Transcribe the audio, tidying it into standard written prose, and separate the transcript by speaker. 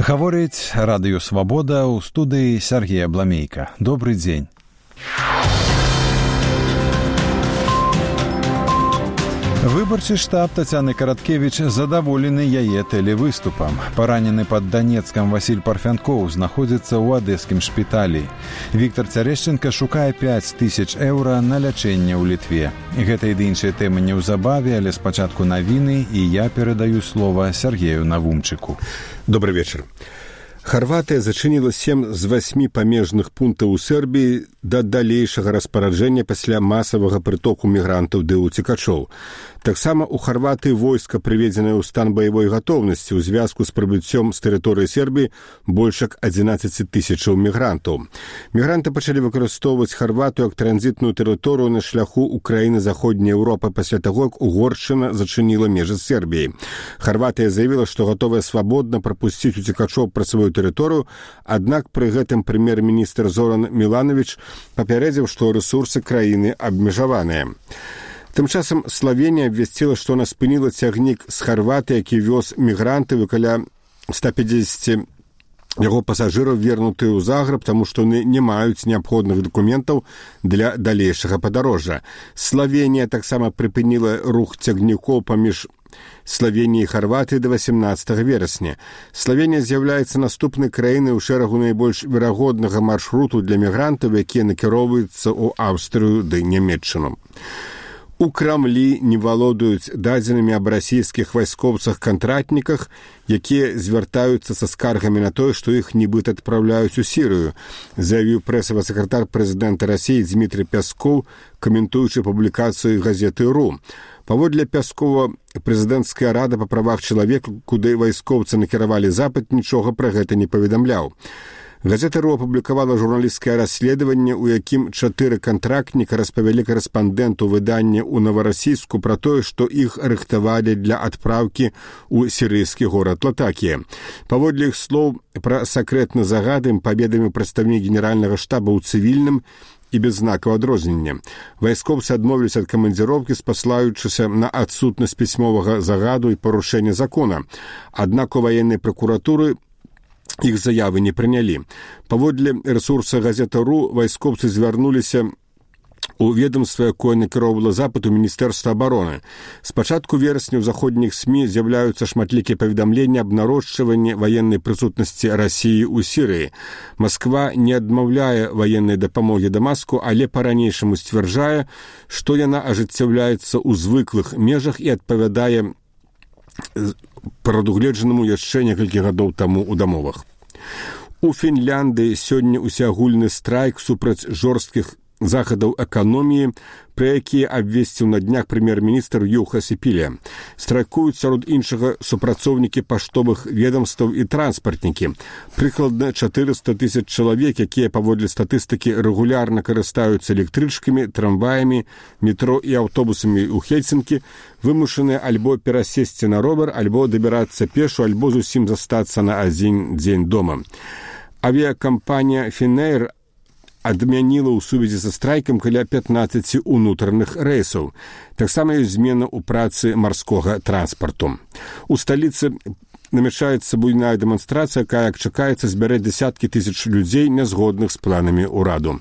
Speaker 1: Гаворыць радыё «Свабода», ў студыі Сергей Абламейка. Добрый дзень. Выбарчы штаб Тацяны Караткевіч задаволены яе тэлевыступам. Паранены пад Данецкам Васіль Парфянкоў знаходзіцца ў адэскім шпіталі. Віктор Цярэшченка шукае 5000 еўра на лячэнне ў Літве. Гэта і іншыя тэмы неўзабаве, але спачатку навіны, і я перадаю слова Сергею Навумчыку.
Speaker 2: Добрый вечер. Харватыя зачыніла 7 з 8 памежных пунктаў у Сербіі да далейшага распараджэння пасля масавага прытоку мігрантаў ды ўцекачоў. Таксама ў Харватыі войска прыведзенае ў стан баявой гатоўнасці ў звязку з прыбыццём з тэрыторыі Сербіі больш як 11 000 мігрантаў. Мігранты пачалі выкарыстоўваць Харватыю як транзітную тэрыторыю на шляху ў краіны заходняй Еўропы пасля таго, як Угоршчына зачыніла межы з Сербіяй. Харватыя заявіла, што гатовая свабодна прапусціць уцекачоў праз сваю тэрыторыю, аднак пры гэтым прэм'ер-міністр Зоран Мілановіч папярэдзіў, што рэсурсы краіны абмежаваныя. Тым часам Славенія абвясціла, што она спыніла цягнік з Харватыі, які вёз мігрантаў, і каля 150 яго пасажыраў вернутыя ў Загрэб, таму што яны не маюць неабходных дакументаў для далейшага падарожжа. Славенія таксама прыпыніла рух цягнікоў паміж Славенія і Харватыі да 18 верасня. Славенія з'яўляецца наступнай краінай у шэрагу найбольш верагоднага маршруту для мігрантаў, якія накіроўваюцца ў Аўстрыю ды Нямецчыну. У Крамлі не валодаюць дадзенымі аб расійскіх вайскоўцах-кантрактніках, якія звяртаюцца са скаргамі на тое, што іх нібыта адпраўляюць у Сірыю, заявіў прэсавы сакратар прэзідэнта Расіі Дмітрый Пяскоў, каментуючы публікацыю газеты «РУ». Паводле Пяскова, прэзідэнцкая рада па правах чалавека, куды вайскоўцы накіравалі запыт, нічога пра гэта не паведамляў. Газета «РУ» апублікавала журналісцкае расследаванне, у якім 4 кантрактніка распавялі карэспандэнту выдання ў Наварасійску пра тое, што іх рыхтавалі для адпраўкі ў сірыйскі горад Латакія. Паводле іх слоў, пра сакрэтны загад ім паведаміў прадстаўнік генеральнага штаба ў цывільным і без знакаў адрознення. Вайскоўцы адмовіліся ад камандзіроўкі, спаслаючыся на адсутнасць пісьмовага загаду і парушэння закона. Аднак у ваеннай пракуратуры іх заявы не прынялі. Паводле рэсурса газета «РУ» вайскоўцы звярнуліся у ведомства, якое накіроўвала запыт у Міністэрства абароны. З пачатку верасня ў заходніх СМІ з'яўляюцца шматлікія паведамленні аб нарошчванні ваеннай прысутнасці Расіі ў Сірыі. Масква не адмаўляе ваеннай дапамогі Дамаску, але па-ранейшаму сцвярджае, што яна ажыццяўляецца ў звыклых межах і адпавядае прадугледжанаму яшчэ некалькі гадоў таму ў дамовах. У Фінляндыі сёння усеагульны страйк супраць жорсткіх захадаў эканоміі, пра якія абвесціў на днях прэм'ер-міністр Юха Сіпіле. Страйкуюць сярод іншага супрацоўнікі паштовых ведамстваў і транспартнікі. Прыкладна 400 000 чалавек, якія паводле статыстыкі рэгулярна карыстаюцца электрычкамі, трамваямі, метро і аўтобусамі ў Хельсінкі, вымушаныя альбо перасесці на ровар, альбо дабірацца пешу, альбо зусім застацца на адзін дзень дома. Авіякампанія «Фінэйр» адмяніла ў сувязі са страйкам каля 15 унутраных рэйсаў. Таксама ёсць змена ў працы марскога транспарту. У сталіцы намячаецца буйная дэманстрацыя, якая, як чакаецца, збярэ десяткі тысяч людзей, нязгодных з планамі ўраду.